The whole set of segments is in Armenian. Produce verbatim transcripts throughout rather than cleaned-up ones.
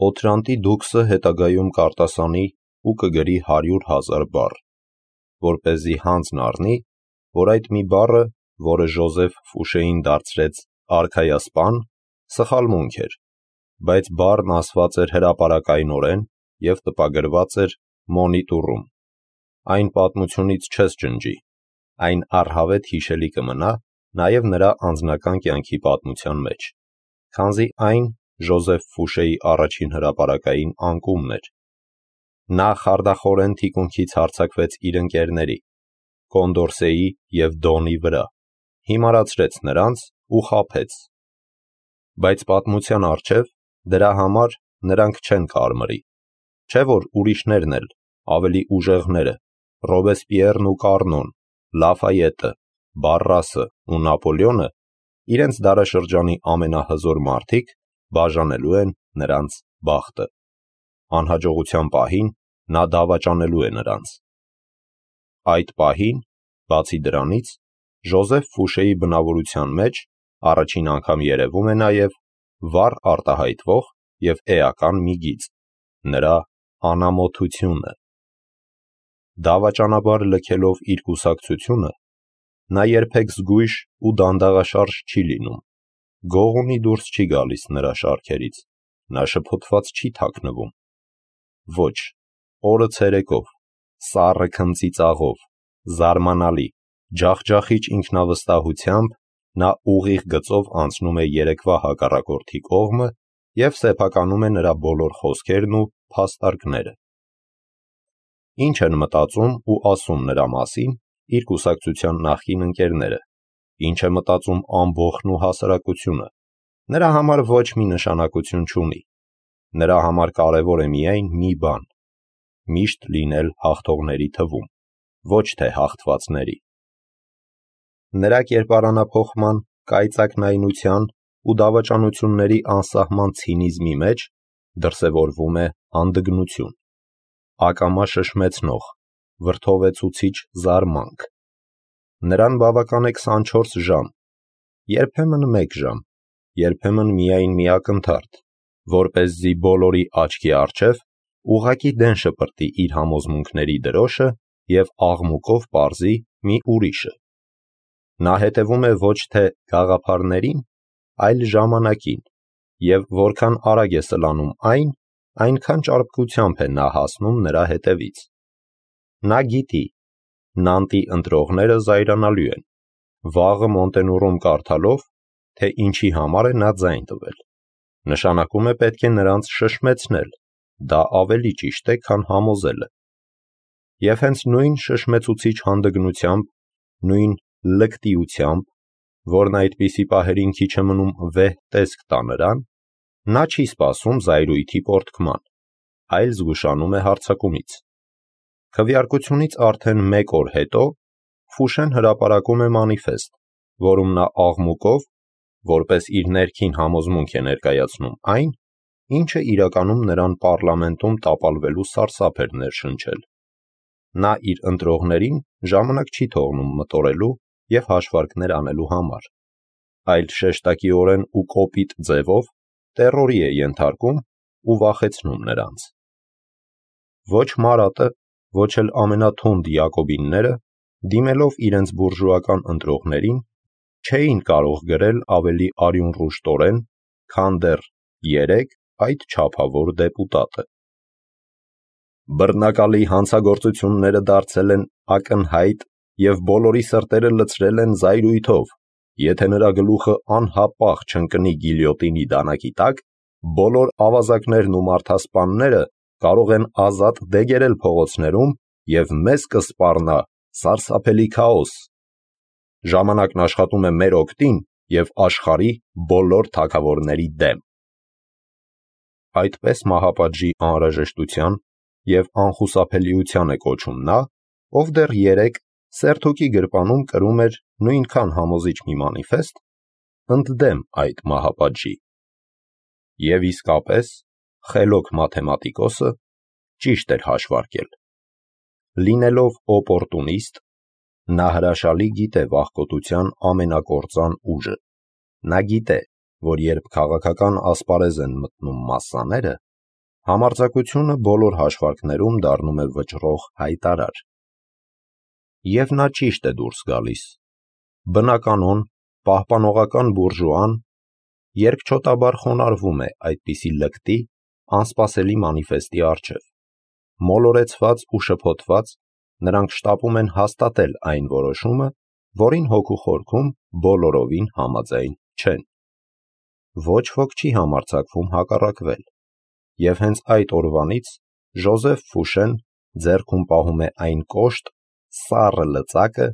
Օթրանտի դուքսը հետագայում կարտասանի ու կգրի հարյուր հազար բառ, որպեսզի հանձն առնի, որ այդ մի բառը, որը Ժոզեֆ Ֆուշեին դարձրեց արքայասպան, սխալմունք էր, բայց բառն ասված էր հրապարակայնորեն և տպագրված էր մոնիտուրում։ Այն պատմությունից չես ջնջի, այն առհավետ հիշելի կմնա նաև նրա անձնական կյանքի պատմության մեջ, քանզի այն Ժոզեֆ Ֆուշեի առաջին հրապարակային անկումն էր։ Նա խարդախորեն թիկունքից հարձակվեց իր ընկերների՝ Կոնդորսեի և Դոնի վրա, հիմարացրեց նրանց ու խաբեց։ Բայց պատմության առջև դրա համար նրանք չեն կարմրի, չէ՞ որ ուրիշներն էլ, ավելի ուժեղները, Ռոբեսպիերն ու Կառնոն, Լաֆայետը, Բարրասը ու Նապոլեոնը, իրենց դարաշրջանի ամենահզոր մարդիկ, բաժանելու են նրանց բախտը։ Անհաջողության պահին նա դավաճանելու է նրանց։ Այդ պահին, բացի դրանից, Ժոզեֆ Ֆուշեի բնավորության մեջ առաջին անգամ երևում է նաև վառ արտահայտվող և էական մի գիծ՝ նրա անամոթությունը։ Դավաճանաբար լքելով իր կուսակցությունը, նա երբեք զգույշ ու դանդաղաշարժ չի լինում, գողունի դուրս չի գալիս նրա շարքերից, նա շփոթված չի թաքնվում։ Ոչ, օրը ցերեկով, սառը քնծի ծաղով, զարմանալի, ջախջախիչ ինքնավստահությամբ նա ուղիղ գծով անցնում է երեկվա հակառակորդի կողմը և սեփականում է նրա բոլոր խոսքերն ու փաստարկները։ Ինչ են մտածում ու ասում նրա մասին իր կուսակցության նախկին ընկերները, ինչ է մտածում ամբոխն ու հասարակությունը, նրա համար ոչ մի նշանակություն չունի։ Նրա համար կարևոր է միայն մի բան՝ միշտ լինել հաղթողների թվում, ոչ թե հաղթվածների։ Նրա կերպարանափոխման, կայծակնայնության ու դավաճանությունների անսահման ցինիզմի մեջ դրսևորվում է հանդգնություն, ակամա շշմեցնող, վրդովեցուցիչ զարմանք։ Նրան բավական է քսանչորս ժամ, երբեմն մեկ ժամ, երբեմն միայն մի ակնթարթ, որպեսզի բոլորի աչքի առջև ուղղակի դեն շպրտի իր համոզմունքների դրոշը և աղմուկով պարզի մի ուրիշը։ Նա հետևում է ոչ թե գաղափարներին, այլ ժամանակին, և որքան արագ է սլանում այն, այնքան ճարպկությամբ է նա հասնում նրա հետևից։ Նա գիտի, Նանտի ընտրողները զայրանալու են, վաղը Մոնտենուրում կարդալով, թե ինչի համար է նա ձայն տվել։ Նշանակում է պետք է նրանց շշմեցնել, դա ավելի ճիշտ է, քան համոզելը։ Եվ հենց նույն շշմեցուցիչ հանդգնությամբ, նույն լկտիությամբ, որն այդպիսի պահերին քիչ է մնում վեհ տեսք տա նրան, նա չի սպասում զայրույթի պոռթկման, այլ զգուշանում է հարձակումից։ Քվեարկությունից արդեն մեկ օր հետո Ֆուշեն հրապարակում է մանիֆեստ, որում նա աղմուկով, որպես իր ներքին համոզմունք է ներկայացնում այն, ինչը իրականում նրան պառլամենտում տապալվելու սարսափ էր ներշնչել։ Նա իր ընտրողներին ժամանակ չի թողնում մտորելու և հաշվարկներ անելու համար, այլ շեշտակիորեն ու կոպիտ ձևով տեռորի է ենթարկում ու վախեցնում նրանց։ Ոչ Մարատը, ոչ էլ ամենաթունդ Յակոբինները, դիմելով իրենց բուրժուական ընտրողներին, չէին կարող գրել ավելի արյունռուշտորեն, քան դեռ երեկ այդ չափավոր դեպուտատը։ Բռնակալի հանցագործությունները դարձել են ակնհայտ և բոլորի սրտերը լցրել են զայրույթով, եթե նրա գլուխը անհապաղ չընկնի գիլյոտինի դանակի տակ, բոլոր ավազակներն ու մարդասպանները կարող են ազատ դեգերել փողոցներում և մեզ կսպառնա սարսափելի քաոս։ Ժամանակն աշխատում է մեր օգտին և աշխարհի բոլոր թագավորների դեմ։ Այդպես մահապատժի անհրաժեշտության և անխուսափելիության է կոչում նա, ով դեռ երեկ սերթոկի գրպանում կրում էր նույնքան համոզիչ մի մանիֆեստ, ընդդեմ այդ մահապատժի։ Եվ իսկապես, խելոք մաթեմատիկոսը ճիշտ էր հաշվարկել։ Լինելով օպորտունիստ, նա հրաշալի գիտե վախկոտության ամենակործան ուժը։ Նա գիտե, որ երբ քաղաքական ասպարեզ են մտնում մասսաները, Համարձակությունը բոլոր հաշվարկներում դառնում է վճռող հայտարար։ Եվ նա ճիշտ է դուրս գալիս։ Բնականոն, պահպանողական բուրժուան երկչոտաբար խոնարհվում է այդպիսի լկտի, անսպասելի մանիֆեստի առջև։ Մոլորեցված ու շփոթված, նրանք շտապում են հաստատել այն որոշումը, որին հոգու խորքում բոլորովին համաձայն չեն։ Ոչ ոք չի համարձակվում հակառակվել, և հենց այդ օրվանից Ժոզեֆ Ֆուշեն ձեռքում պահում է այն կոշտ, սառը լծակը,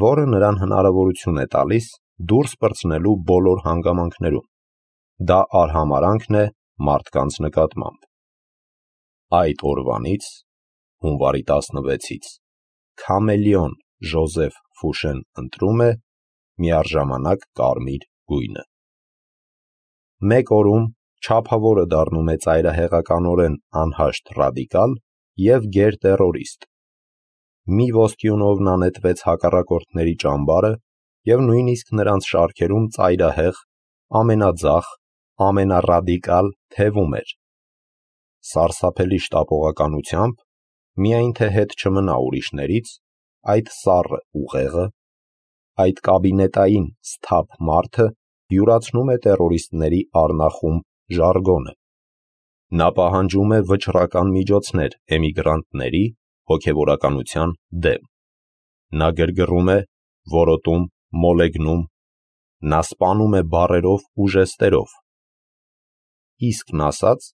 որը նրան հնարավորություն է տալիս դուրս պրծնելու բոլոր հանգամանքներում։ Դա արհամարհանքն է մարդկանց նկատմամբ։ Այդ օրվանից, հունվարի տասնվեցից, քամելեոն Ժոզեֆ Ֆուշեն ընտրում է միառժամանակ կարմիր գույնը։ Մեկ օրում չափավորը դառնում է ծայրահեղականորեն անհաշտ ռադիկալ և գերտերորիստ։ Մի ոսկյունով նա նետվեց հակառակորդների ճամբարը և նույնիսկ նրանց շարքերում ծայրահեղ, ամենաձախ, ամենառադիկալ թևում էր։ Սարսափելի շտապողականությամբ, միայն թե հետ չմնա ուրիշներից, այդ սառը ուղեղը, այդ կաբինետային սթափ մարդը յուրացնում է տերորիստների առնախում ժարգոնը։ Նա պահանջում է վճռական միջոցներ էմիգրանտների հոգևորականության դեմ։ Նա գրգռում է, որոտում, մոլեգնում, նա սպանում է բառերով ու ժեստերով։ Իսկն ասած,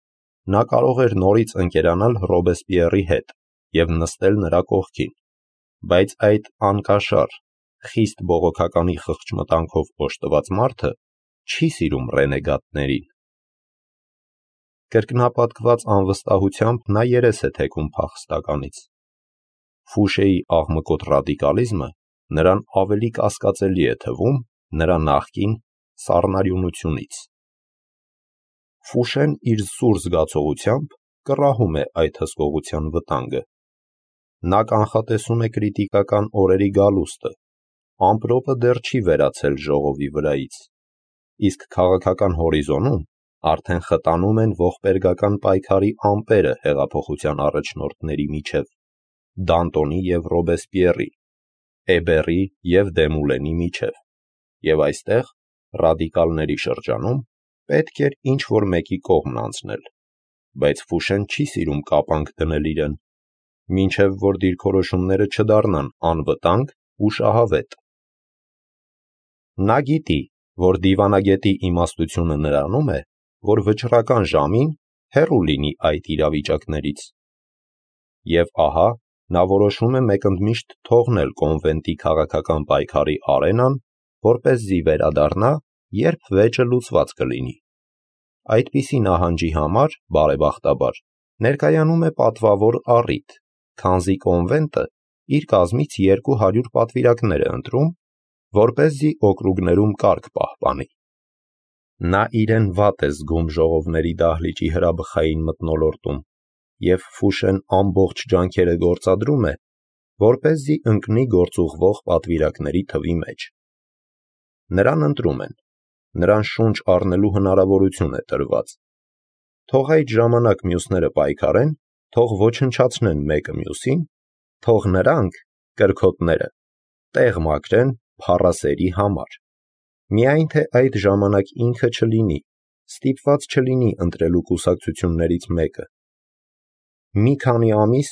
նա կարող էր նորից ընկերանալ Ռոբեսպիեռի հետ և նստել նրա կողքին, բայց այդ անկաշար, խիստ բողոքականի խղճմտանքով օժտված մարդը չի սիրում ռենեգատներին։ Կրկնապատկված անվստահությամբ նա երես է թեքում փախստականից։ Ֆուշեի աղմկոտ ռադիկալիզմը նրան ավելի կասկածելի է թվում նրա նախկին սառնարյունությունից։ Ֆուշեն իր սուր զգացողությամբ կռահում է այդ հսկողության վտանգը։ Նա կանխատեսում է կրիտիկական օրերի գալուստը, ամպրոպը դեռ չի վերացել ժողովի վրայից, իսկ քաղաքական հորիզոնում արդեն խտանում են ողբերգական պայքարի ամպերը հեղափոխության առաջնորդների միջև, Դանտոնի և Ռոբեսպիեռի, Էբերի և Դեմուլենի միջև, և այստեղ, ռադիկալների շրջանում, պետք էր ինչ-որ մեկի կողմն անցնել, բայց Ֆուշեն չի սիրում կապանք դնել իրեն, մինչև որ դիրքորոշումները չդառնան անվտանգ ու շահավետ։ Նա գիտի, որ դիվանագետի իմաստությունը նրանում է, որ վճռական ժամին հեռու լինի այդ իրավիճակներից։ Եվ ահա, նա որոշում է մեկընդմիշտ թողնել կոնվենտի քաղաքական պայքարի արենան, որպեսզի վերադառնա, երբ վեճը լուծված կլինի։ Այդպիսի նահանջի համար, բարեբախտաբար, ներկայանում է պատվավոր առիթ, քանզի կոնվենտը իր կազմից երկու հարյուր պատվիրակներ է ընտրում, որպեսզի օկրուգներում կարգ պահպանի։ Նա իրեն վատ է զգում ժողովների դահլիճի հրաբխային մթնոլորտում, և Ֆուշեն ամբողջ ջանքերը գործադրում է, որպեսզի ընկնի գործուղվող պատվիրակների թվի մեջ։ Նրան ընտրում են, նրան շունչ առնելու հնարավորություն է տրված։ Թող այդ ժամանակ մյուսները պայքարեն, թող ոչնչացնեն մեկը մյուսին, թող նրանք, կրքոտները, տեղ մաքրեն փառասերի համար։ Միայն թե այդ ժամանակ ինքը չլինի, ստիպված չլինի ընտրելու կուսակցություններից մեկը։ Մի քանի ամիս,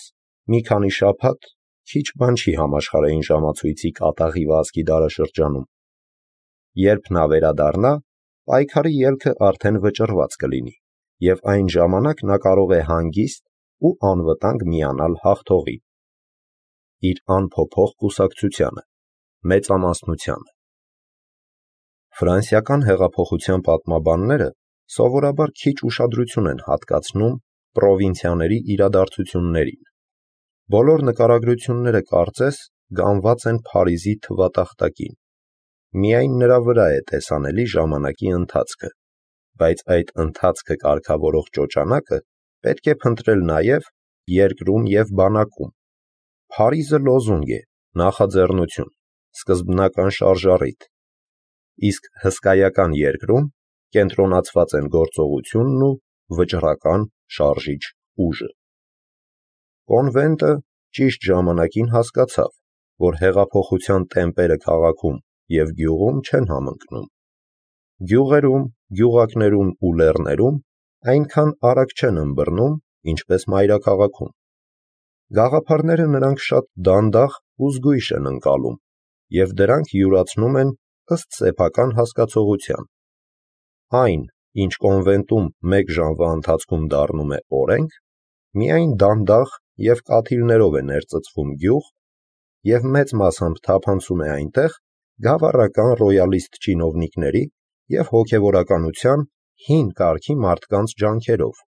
մի քանի շաբաթ քիչ բան չի համաշխարհային ժամացույցի կատաղի վազքի դարաշրջանում։ Երբ նա վերադառնա, պայքարի ելքը արդեն վճռված կլինի, և այն ժամանակ նա կարող է հանգիստ ու անվտանգ միանալ հաղթողին։ Իր անփոփոխ կուսակցությանը, մեծամասնությանը։ Ֆրանսիական հեղափոխության պատմաբանները սովորաբար քիչ ուշադրություն են հատկացնում պրովինցիաների իրադարձություններին։ Բոլոր նկարագրությունները կարծես գանված են Փարիզի թվատախտակին։ Միայն նրա վրա է տեսանելի ժամանակի ընթացքը, բայց այդ ընթացքը կարգավորող ճոճանակը պետք է փնտրել նաև երկրում և բանակում։ Փարիզը լոզունգ է, նախաձեռնություն, սկզբնական շարժառիթ, իսկ հսկայական երկրում կենտրոնացված են գործողությունն ու վճռական շարժիչ ուժը։ Կոնվենտը ճիշտ ժամանակին հասկացավ, որ հեղափոխության տեմպերը քաղաքում և գյուղում չեն համընկնում։ Գյուղերում, գյուղակներում ու լեռներում այնքան արագ չեն ըմբռնում, ինչպես մայրաքաղաքում։ Գաղափարները նրանք շատ դանդաղ ու զգույշ են ընկալում, և դրանք յուրացնում են ըստ սեփական հասկացողության։ Այն, ինչ կոնվենտում մեկ ժամվա ընթացքում դառնում է օրենք, միայն դանդաղ և կաթիլներով է ներծծվում գյուղ և մեծ մասամբ թափանցում է այնտեղ գավառական ռոյալիստ չինովնիկների և հոգևորականության հին կարգի մարդկանց ջանքերով,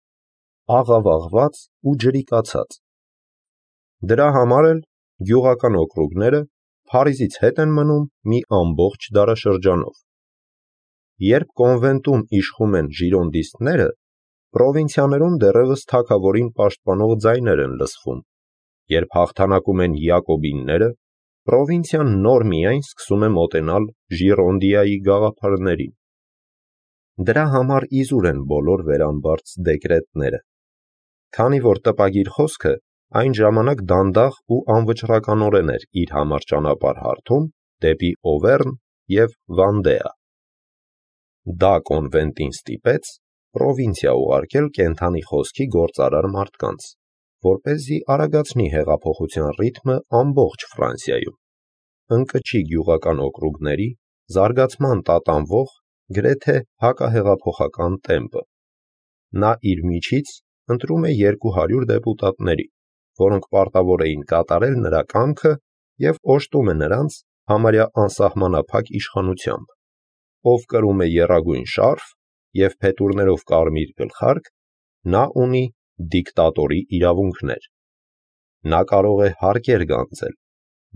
աղավաղված ու ջրիկացած։ Դրա համար էլ գյուղական օկրուգները Փարիզից հետ են մնում մի ամբողջ դարաշրջանով։ Երբ կոնվենտում իշխում են ժիրոնդիստները, պրովինցիաներում դեռևս թագավորին պաշտպանող ձայներ են լսվում, երբ հաղթանակում են յակոբինները, պրովինցիան նոր միայն սկսում է մոտենալ Ժիրոնդիայի գաղափարներին։ Դրա համար իզուր են բոլոր վերամբարձ դեկրետները, քանի որ տպագիր խոսքը այն ժամանակ դանդաղ ու անվճռականորեն էր իր համար ճանապարհ հարթում դեպի Օվերն և Վանդեա։ Դա կոնվենտին ստիպեց պրովինցիա ուղարկել կենդանի խոսքի գործարար մարդկանց, որպեսզի արագացնի հեղափոխության ռիթմը ամբողջ Ֆրանսիայում, ընկճի գյուղական օկրուգների զարգացման տատանվող գրեթե հակահեղափոխական տեմպը։ Նա իր միջից ընտրում է երկու հարյուր դեպուտատների, որոնք պարտավոր էին կատարել նրա կամքը և օժտում է նրանց համարյա անսահմանափակ իշխանությամբ, ով կրում է եռագույն շարֆ և փետուրներով կարմիր գլխարկ, նա ունի դիկտատորի իրավունքներ։ Նա կարող է հարկեր գանձել,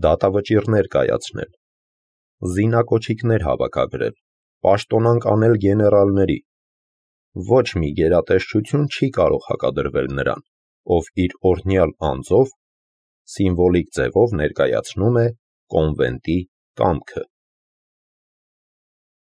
դատավճիռներ կայացնել, զինակոչիկներ հավաքագրել, պաշտոնանկ անել գեներալների։ Ոչ մի գերատեսչություն չի կարող հակադրվել նրան, ով իր օրհնյալ անձով սիմվոլիկ ձևով ներկայացնում է կոնվենտի կամքը։